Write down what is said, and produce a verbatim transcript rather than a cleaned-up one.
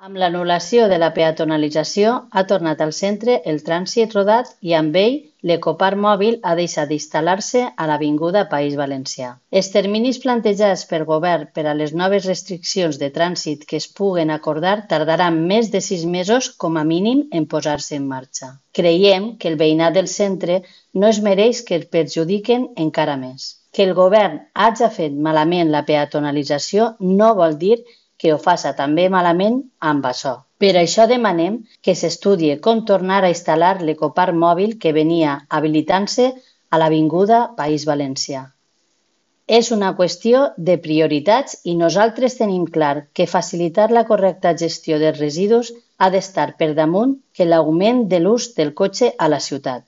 Amb l'anul·lació de la peatonalització ha tornat al centre el trànsit rodat i amb ell l'ecoparc mòbil ha deixat d'instal·lar-se a l'Avinguda País Valencià. Els terminis plantejats pel govern per a les noves restriccions de trànsit que es puguen acordar tardaran més de sis mesos com a mínim en posar-se en marxa. Creiem que el veïnat del centre no es mereix que el perjudiquen encara més. Que el govern hagi fet malament la peatonalització no vol dir que ho faci també malament amb això. Per això demanem que s'estudie com tornar a instal·lar l'ecoparc mòbil que venia habilitant-se a l'Avinguda País Valencià. És una qüestió de prioritats i nosaltres tenim clar que facilitar la correcta gestió dels residus ha d'estar per damunt que l'augment de l'ús del cotxe a la ciutat.